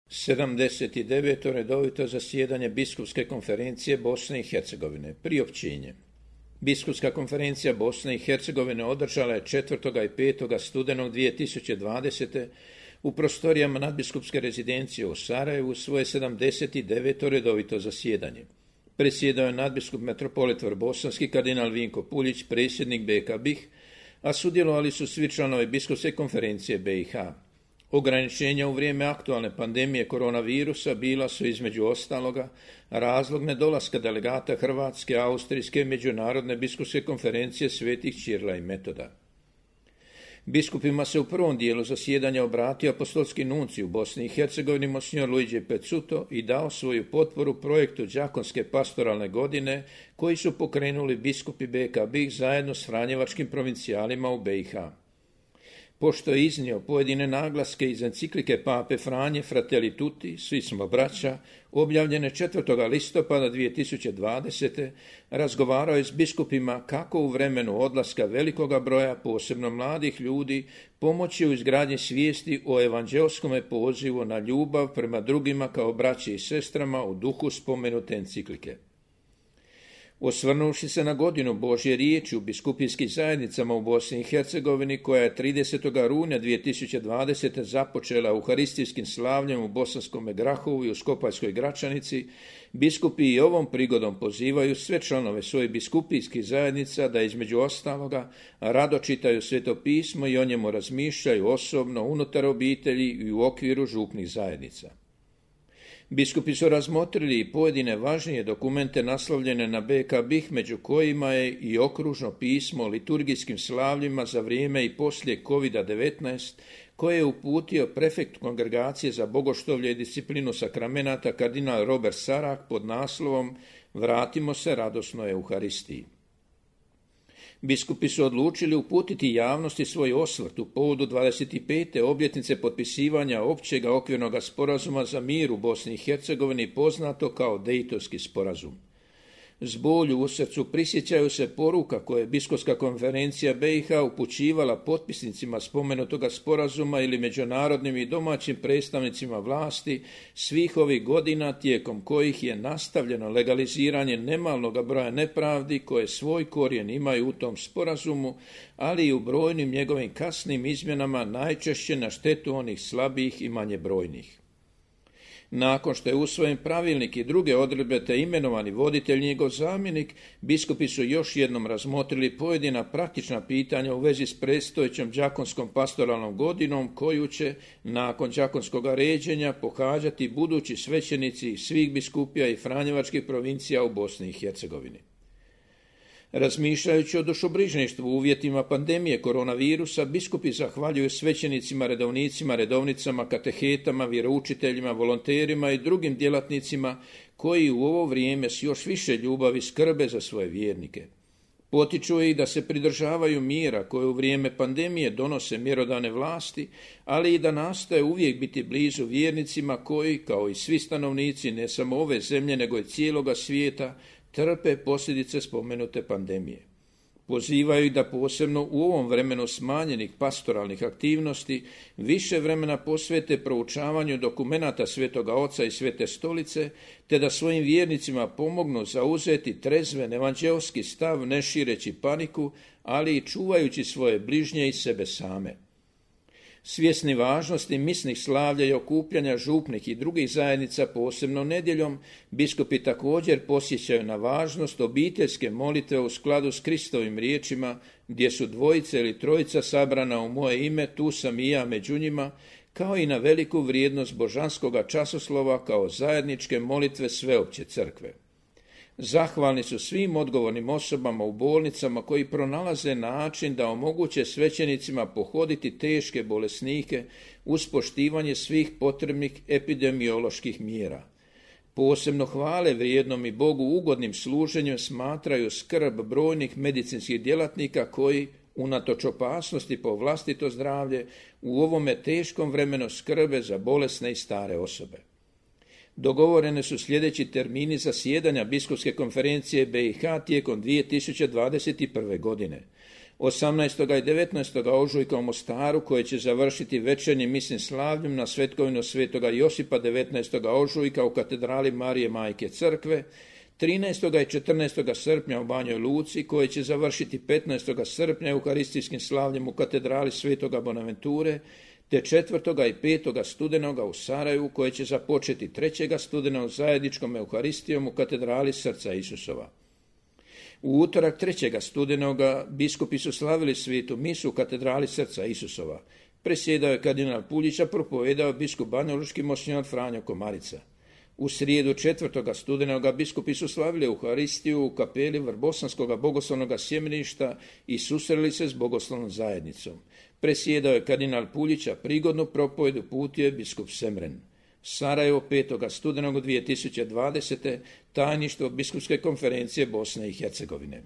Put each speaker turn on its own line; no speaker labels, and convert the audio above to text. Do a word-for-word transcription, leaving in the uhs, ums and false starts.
sedamdeset deveto redovito zasjedanje Biskupske konferencije Bosne i Hercegovine. Priopćenje. Biskupska konferencija Bosne i Hercegovine održala je četvrtog i petog studenog dvije tisuće dvadesete. u prostorijama nadbiskupske rezidencije u Sarajevu svoje sedamdeset deveto redovito zasjedanje. Predsjedao je nadbiskup metropolit Vrbosanski kardinal Vinko Puljić, predsjednik B K B I H, a sudjelovali su svi članovi Biskupske konferencije B i H. Ograničenja u vrijeme aktualne pandemije koronavirusa bila su između ostaloga razlog nedolaska delegata Hrvatske, Austrijske i Međunarodne biskupske konferencije svetih Ćirila i Metoda. Biskupima se u prvom dijelu zasjedanja obratio apostolski nuncij u Bosni i Hercegovini Monsignor Luigi Pezzuto i dao svoju potporu projektu đakonske pastoralne godine koji su pokrenuli biskupi B K B I H zajedno s franjevačkim provincijalima u B i H. Pošto je iznio pojedine naglaske iz enciklike Pape Franje Fratelli Tutti, svi smo braća, objavljene četvrtog listopada dvije tisuće dvadesete. razgovarao je s biskupima kako u vremenu odlaska velikoga broja, posebno mladih ljudi, pomoći u izgradnji svijesti o evanđelskom pozivu na ljubav prema drugima kao braći i sestrama u duhu spomenute enciklike. Osvrnuvši se na godinu Božje riječi u biskupijskim zajednicama u Bosni i Hercegovini, koja je tridesetog rujna dvije tisuće dvadesete. započela euharistijskim slavljem u Bosanskom Grahovu i u Skopaljskoj Gračanici, biskupi i ovom prigodom pozivaju sve članove svojih biskupijskih zajednica da između ostaloga rado čitaju Sveto pismo i o njemu razmišljaju osobno, unutar obitelji i u okviru župnih zajednica. Biskupi su razmotrili i pojedine važnije dokumente naslovljene na B K B I H, među kojima je i okružno pismo o liturgijskim slavljima za vrijeme i poslije kovid devetnaest, koje je uputio prefekt Kongregacije za bogoštovlje i disciplinu sakramenata kardinal Robert Sarak pod naslovom Vratimo se radosnoj Euharistiji. Biskupi su odlučili uputiti javnosti svoj osvrt u povodu dvadeset pete obljetnice potpisivanja općega okvirnog sporazuma za mir u Bosni i Hercegovini, poznato kao Dejtonski sporazum. S bolju u srcu prisjećaju se poruka koje je Biskupska konferencija B i H upućivala potpisnicima spomenutoga sporazuma ili međunarodnim i domaćim predstavnicima vlasti svih ovih godina, tijekom kojih je nastavljeno legaliziranje nemalnog broja nepravdi koje svoj korijen imaju u tom sporazumu, ali i u brojnim njegovim kasnim izmjenama, najčešće na štetu onih slabijih i manje brojnih. Nakon što je usvojen pravilnik i druge odredbe te imenovani voditelj njegov zamjenik, biskupi su još jednom razmotrili pojedina praktična pitanja u vezi s predstojećom đakonskom pastoralnom godinom koju će, nakon đakonskog ređenja, pohađati budući svećenici svih biskupija i franjevačkih provincija u Bosni i Hercegovini. Razmišljajući o dušobrižništvu u uvjetima pandemije koronavirusa, biskupi zahvaljuju svećenicima, redovnicima, redovnicama, katehetama, vjeroučiteljima, volonterima i drugim djelatnicima koji u ovo vrijeme s još više ljubavi skrbe za svoje vjernike. Potiču ih da se pridržavaju mjera koje u vrijeme pandemije donose mjerodavne vlasti, ali i da nastoje uvijek biti blizu vjernicima koji, kao i svi stanovnici ne samo ove zemlje nego i cijeloga svijeta, trpe posljedice spomenute pandemije. Pozivaju da posebno u ovom vremenu smanjenih pastoralnih aktivnosti više vremena posvete proučavanju dokumenata Svetoga Oca i Svete Stolice, te da svojim vjernicima pomognu zauzeti trezven evanđelski stav ne šireći paniku, ali i čuvajući svoje bližnje i sebe same. Svjesni važnosti misnih slavlja i okupljanja župnih i drugih zajednica, posebno nedjeljom, biskupi također posjećaju na važnost obiteljske molitve u skladu s Kristovim riječima, gdje su dvojica ili trojica sabrana u moje ime, tu sam i ja među njima, kao i na veliku vrijednost božanskoga časoslova kao zajedničke molitve sveopće crkve. Zahvalni su svim odgovornim osobama u bolnicama koji pronalaze način da omoguće svećenicima pohoditi teške bolesnike uz poštivanje svih potrebnih epidemioloških mjera. Posebno hvale vrijednom i Bogu ugodnim služenjem smatraju skrb brojnih medicinskih djelatnika koji, unatoč opasnosti po vlastito zdravlje, u ovome teškom vremenu skrbe za bolesne i stare osobe. Dogovorene su sljedeći termini zasjedanja Biskupske konferencije B i H tijekom dvije tisuće dvadeset prve. godine. osamnaestog i devetnaestog ožujka u Mostaru, koje će završiti večernjim misnim slavljem na svetkovinu svetoga Josipa devetnaestog ožujka u katedrali Marije Majke Crkve, trinaestog i četrnaestog srpnja u Banjoj Luci, koje će završiti petnaestog srpnja euharistijskim slavljem u katedrali svetoga Bonaventure, te četvrtog i petog studenoga u Sarajevu, koje će započeti trećeg studenog zajedničkom euharistijom u katedrali Srca Isusova. U utorak trećeg studenoga biskupi su slavili svetu misu u katedrali Srca Isusova. Presjedao je kardinal Puljić, a propovedao biskup banjalučki monsinjor Franjo Komarica. U srijedu četvrtoga studenoga biskupi su slavili euharistiju u kapeli Vrbosanskog bogoslovnog sjemeništa i susreli se s bogoslovnom zajednicom. Presjedao je kardinal Puljić, a prigodnu propovedu uputio je biskup Semren. Sarajevo, petog studenog dvije tisuće dvadesete. Tajništvo biskupske konferencije Bosne i Hercegovine.